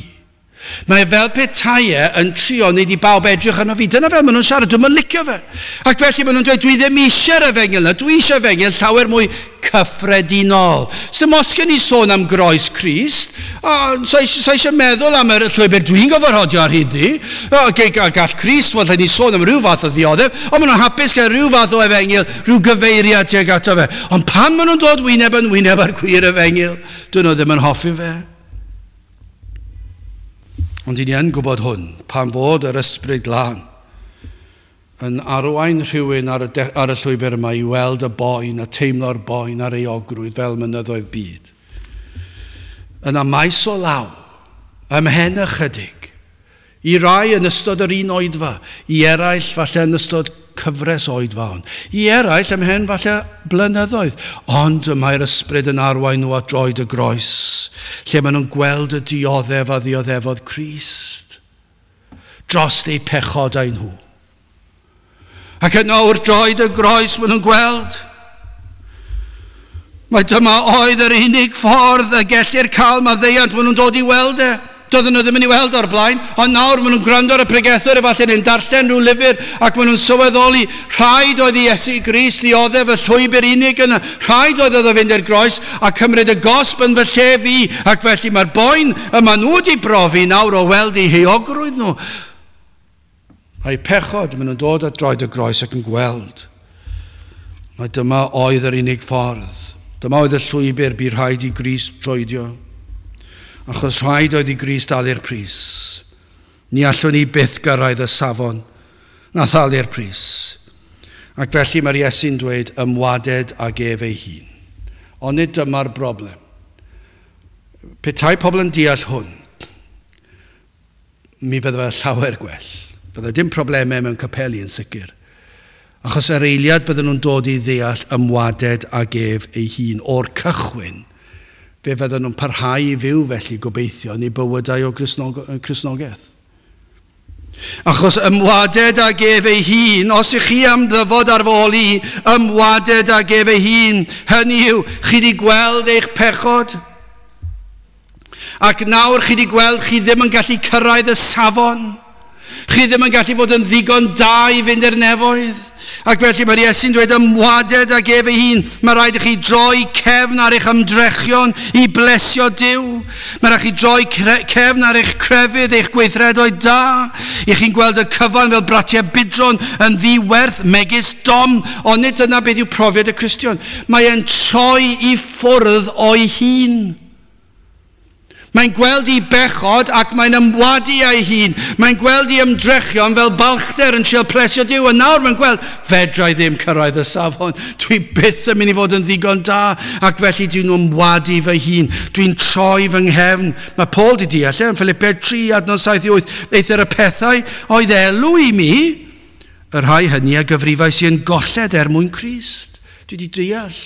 Mae e fel petai e yn trio wneud i bawb edrych arno fi. Dyna fel maen nhw'n siarad, dwi'm yn licio fe. Ac felly maen nhw'n dweud, dwi ddim eisiau'r efengyl yna, dwi eisiau efengyl llawer mwy cyffredinol. Sdim os gen i sôn am groes Crist, sa eisiau meddwl am yr llwybr dwi'n gorfod rhodio ar hyd i. Gall Crist fod ni sôn am rhyw fath o ddioddef, ond maen nhw'n hapus gael rhyw fath o efengyl, rhyw gyfeiriad tuag ato fe. Ond pan maen nhw'n dod wyneb yn wyneb ar gwir efengyl, dyn nhw ddim yn hoffi fe. Ond i ni yn gwybod hwn, pan fod yr ysbryd glân yn arwain rhywun ar y, de, ar y llwybr yma i weld y boen a teimlo'r boen a'r euogrwydd fel mynyddoedd byd. Yna maes o law, ymhen ychydig, i rai yn ystod yr un oedfa, i eraill falle yn ystod cyfres oedfa hon, i eraill ymhen falle blynyddoedd, ond y mae'r ysbryd yn arwain nhw at droed y groes, lle maen nhw'n gweld y dioddef a ddioddefodd Crist dros eu pechodau nhw. Ac yno wrth droed y groes maen nhw'n gweld. Mae dyma oedd yr unig ffordd y gellir cael maddeuant, maen nhw'n dod i weld e. Doedden nhw ddim yn ei weld o'r blaen, ond nawr maen nhw'n gwrando ar y pregethwr, efallai neu'n darllen rhyw lyfr, ac maen nhw'n sylweddoli, rhaid oedd i Iesu Grist ddioddef y llwybr unig yna, rhaid oedd iddo fynd i'r groes a cymryd y gosb yn fy lle fi, ac felly mae'r boen y maen nhw wedi brofi nawr o weld eu heuogrwydd nhw. Mae pechod, maen nhw'n dod at droed y groes ac yn gweld. Mae dyma oedd yr unig ffordd. Dyma oedd y llwybr bu rhaid i Grist troedio. Achos rhaid oedd i Grist dalu'r pris. Ni allwn ni byth gyrraedd y safon na thalu'r pris. Ac felly mae'r Iesu'n dweud ymwaded ag ef ei hun. Ond nid dyma'r broblem. Petai pobl yn deall hwn, mi fydde fe llawer gwell. Bydde dim problemau mewn capeli yn sicr. Achos yr eiliad bydden nhw'n dod i ddeall ymwaded ag ef ei hun o'r cychwyn, fe fydden nhw'n parhau i fyw felly gobeithio yn eu bywydau o Gristnogaeth. Achos ymwaded ag ef ei hun, os ych chi am ddyfod ar fy ôl i, ymwaded ag ef ei hun, hynny yw, chi wedi gweld eich pechod. Ac nawr chi wedi gweld chi ddim yn gallu cyrraedd y safon. Chi ddim yn gallu fod yn ddigon da i fynd i'r nefoedd. Ac felly mae'r Iesu'n dweud ymwaded ag ef ei hun. Mae rhaid i chi droi cefn ar eich ymdrechion i blesio Duw. Mae rhaid i chi droi cefn ar eich crefydd, eich gweithredoedd da. I chi'n gweld y cyfan fel bratiau budron yn ddiwerth megis dom. Ond nid dyna beth yw profiad y Cristion. Mae e'n troi i ffwrdd o'i hun. Mae'n gweld ei bechod ac mae'n ymwadu â'i hun. Mae'n gweld ei ymdrechion fel balchder yn trio plesio Duw. A nawr mae'n gweld, fedra i ddim cyrraedd y safon. Dwi byth yn mynd i fod yn ddigon da. Ac felly dwi'n ymwadu fy hun. Dwi'n troi fy nghefn. Mae Paul di deall e, yn Philippiaid tri, adnod saith i wyth. Eithr y pethau oedd elw i mi, y rhai hynny a gyfrifais i yn golled er mwyn Crist. Dwi wedi deall.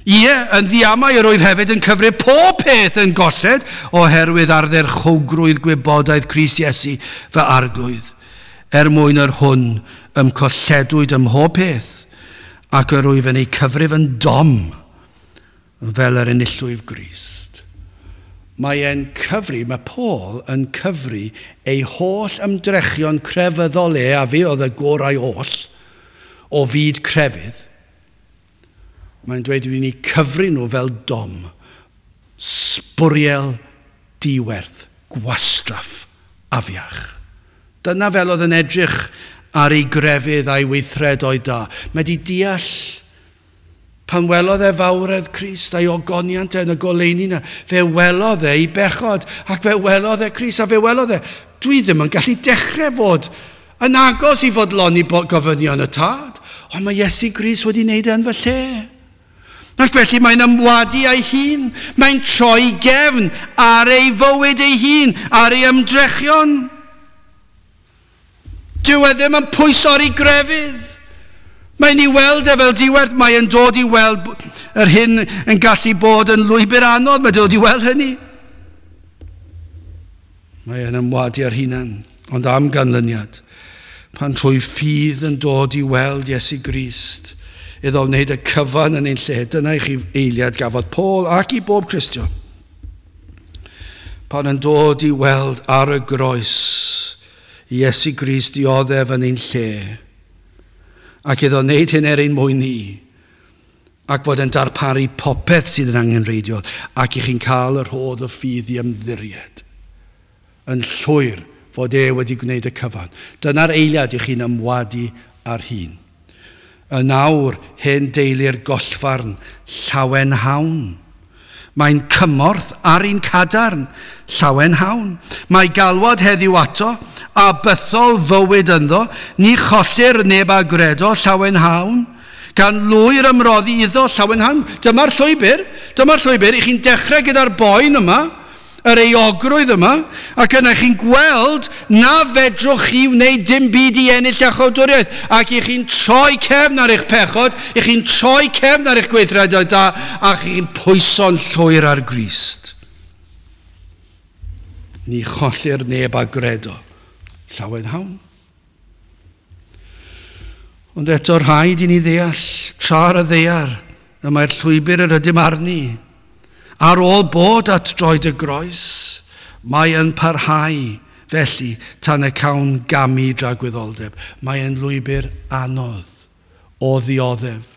Ie, yn ddiamau yr oedd hefyd yn cyfrif pob peth yn golled oherwydd ardderchowgrwydd gwybodaeth Crist Iesu fy arglwydd, er mwyn yr hwn ymcolledwyd ym mhob peth, ac yr wyf yn ei cyfrif yn dom fel yr enillwyf Grist. Mae e'n cyfri, mae Paul yn cyfri ei holl ymdrechion crefyddol e, a fi oedd y gorau oll o fyd crefydd. Mae'n dweud i ni cyfri nhw fel dom, sbwriel diwerth, gwastraff, afiach. Dyna fel oedd yn edrych ar ei grefydd a'i weithredoedd da. Mae di deall pan welodd e fawredd Crist a'i ogoniant e yn y goleuni yna, fe welodd e ei bechod ac fe welodd e Crist a fe welodd e. Dwi ddim yn gallu dechrau fod yn agos i fodloni gofynion y tad, ond mae Iesu Grist wedi wneud e yn fy lle. Ac felly mae'n ymwadu â'i hun, mae'n troi gefn ar ei fywyd ei hun, ar ei ymdrechion. Dyw e ddim yn pwyso ar ei grefydd. Mae'n ei weld e fel diwerth, mae'n dod i weld yr hyn yn gallu bod yn lwybr anodd, mae'n dod i weld hynny. Mae'n ymwadu ar hunan, ond am ganlyniad, pan trwy ffydd yn dod i weld Iesu Grist, iddo wneud y cyfan yn ein lle. Dyna i chi eiliad gafodd Paul ac i bob Cristion. Pan yn dod i weld ar y groes Iesu Grist dioddef yn ein lle, ac iddo wneud hyn er ein mwyn ni, ac fod yn darparu popeth sydd yn angenrheidiol, ac i chi'n cael y rhodd o ffydd i ymddiried yn llwyr fod e wedi gwneud y cyfan. Dyna'r eiliad i chi'n ymwadu ar hun. Yn awr, hen deulu'r gollfarn, llawen hawn. Mae'n cymorth ar un cadarn, llawen hawn. Mae galwad heddiw ato, a bythol fywyd ynddo, ni chollir neb a gredo, llawen hawn. Gan lwyr ymroddi iddo, llawen hawn. Dyma'r llwybr, dyma'r llwybr, i chi'n dechrau gyda'r boen yma, yr euogrwydd yma, ac yna chi'n gweld na fedrwch chi wneud dim byd i ennill iachawdwriaeth, ac i chi'n troi cefn ar eich pechod, i chi'n troi cefn ar eich gweithredoedd da, a chi'n pwyso'n llwyr ar Grist. Ni chollir neb a gredo. Llawen hawn. Ond eto rhaid i ni ddeall, tra ar y ddaear, y mae'r llwybr yr ydym arni. Ar ôl bod at droed y groes, mae yn parhau felly tan y cawn gamu dragwyddoldeb. Mae yn lwybr anodd o ddioddef.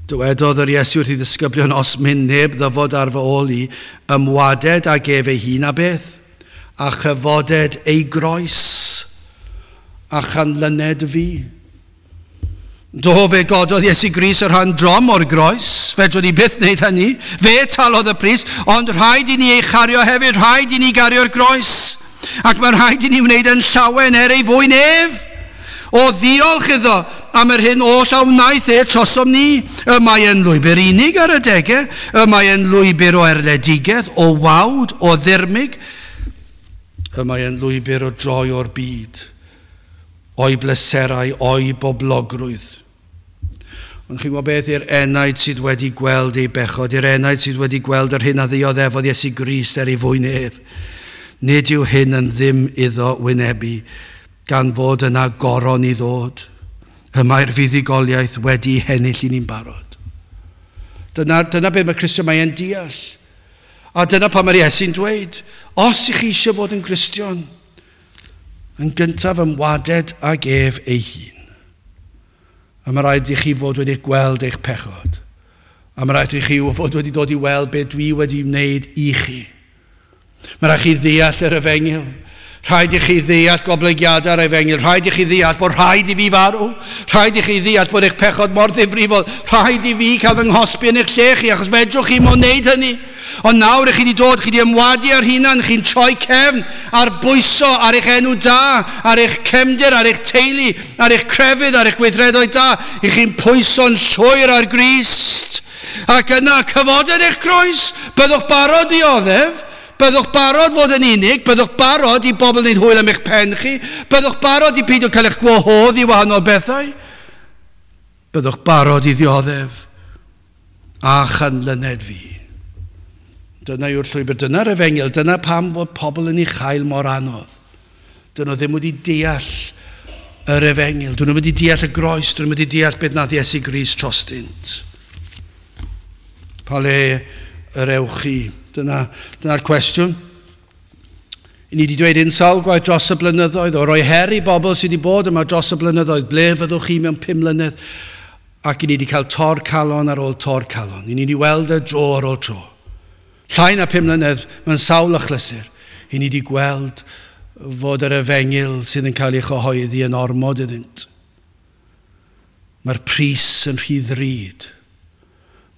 Dywedodd yr Iesu wrth ei ddisgyblion, os myn neb ddyfod ar fy ôl i, ymwaded ag ef ei hun a beth, a chyfoded ei groes, a chanlyned fi. Do, fe gododd Iesu Grist y rhan drom o'r groes, fedrwn ni byth wneud hynny, fe talodd y pris, ond rhaid i ni ei chario hefyd, rhaid i ni gario'r groes, ac mae rhaid i ni wneud yn llawen er ei fwyn ef. O ddiolch iddo am yr hyn oll a wnaeth e trosom ni. Y mae yn lwybr unig ar y degau, y mae yn lwybr o erledigaeth, o wawd, o ddirmyg, y mae yn lwybr o droi o'r byd, o'i bleserau, o'i boblogrwydd. Ond chi'n gwybod beth, i'r enaid sydd wedi gweld ei bechod, i'r enaid sydd wedi gweld yr hyn a ddioddefodd Iesu Grist er ei fwyn ef, nid yw hyn yn ddim iddo wynebu, gan fod yna goron i ddod. Y mae'r fuddugoliaeth wedi hennill i ni'n barod. Dyna, dyna beth mae Cristion mae'n deall. A dyna pan mae'r Iesu'n dweud, os ych chi eisiau fod yn Gristion, yn gyntaf ymwaded ag ef ei hun. A mae rhaid i chi fod wedi gweld eich pechod. A mae rhaid i chi fod wedi dod i weld beth dwi wedi wneud i chi. Mae rhaid chi ddeall yr efengyl. Rhaid i chi ddeall goblygiadau'r efengyl. Rhaid i chi ddeall bod rhaid i fi farw. Rhaid i chi ddeall bod eich pechod mor ddifrifol. Rhaid i fi cael fy nghosbi yn eich lle chi, achos fedrwch chi mo'n wneud hynny. Ond nawr ych chi wedi dod, chi wedi ymwadu ar hunan, chi'n troi cefn ar bwyso ar eich enw da, ar eich cefndir, ar eich teulu, ar eich crefydd, ar eich gweithredoedd da. Ych chi'n pwyso'n llwyr ar Grist. Ac yna cyfoded eich croes, byddwch barod i oddef. Byddwch barod fod yn unig, byddwch barod i bobl wneud hwyl am eich pen chi, byddwch barod i peidio cael eich gwahodd i wahanol bethau. Byddwch barod i ddioddef a chanlyned fi. Dyna yw'r llwybr, dyna'r efengyl, dyna pam fod pobl yn ei chael mor anodd. Dyn nhw ddim wedi deall yr efengyl, dyn nhw wedi deall y groes, dyn nhw wedi deall beth nath Iesu Grist trostynt. Pa le yr ewch chi? Dyna, dyna'r cwestiwn. I ni wedi dweud un sawl gwaith dros y blynyddoedd, o roi her i bobl sydd wedi bod yma dros y blynyddoedd, ble fyddwch chi mewn pum mlynedd? Ac i ni wedi cael tor calon ar ôl tor calon. I ni wedi weld y dro ar ôl tro. Llai na pum mlynedd mewn sawl achlysur. I ni wedi gweld fod yr efengyl sydd yn cael ei chyhoeddi yn ormod iddynt. Mae'r pris yn rhy ddrud.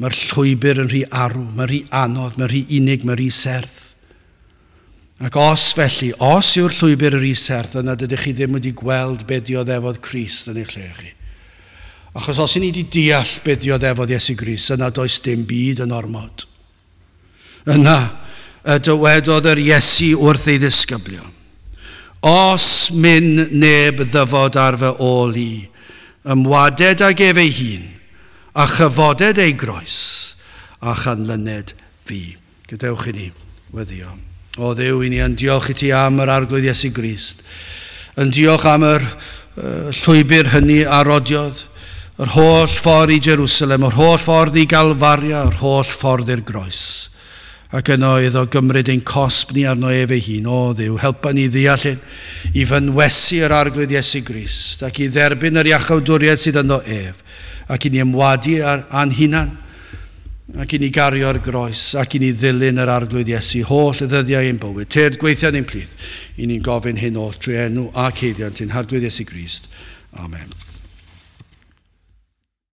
Mae'r llwybr yn rhy arw, mae'n rhy anodd, mae'n rhy unig, mae'n rhy serth. Ac os felly, os yw'r llwybr yn rhy serth, yna dydych chi ddim wedi gweld beth dioddefodd Crist yn eich lle chi. Achos os i ni wedi deall beth dioddefodd Iesu Grist, yna does dim byd yn ormod. Yna y dywedodd yr Iesu wrth ei ddisgyblion, os myn neb ddyfod ar fy ôl i, ymwaded ag ef ei hun, a chyfoded ei groes, a chanlyned fi. Gadewch i ni weddio. O Dduw, i ni yn diolch i ti am yr Arglwydd Iesu Grist. Yn diolch am yr uh, llwybr hynny a rodiodd, yr holl ffordd i Jerusalem, yr holl ffordd i Galfaria, yr holl ffordd i'r groes. Ac yno iddo gymryd ein cosb ni arno ef ei hun. O Dduw, helpa ni ddeall hyn, i fynwesu yr Arglwydd Iesu Grist, ac i dderbyn yr iachawdwriaeth sydd ynddo ef, ac i ni ymwadu ar a'n hunan, ac i ni gario'r groes, ac i ni ddilyn yr Arglwydd Iesu, holl y ddyddiau ein bywyd. Tyrd gweithio yn ein plith, i ni'n gofyn hyn oll trwy enw ac haeddiant ein Harglwydd Iesu Grist. Amen.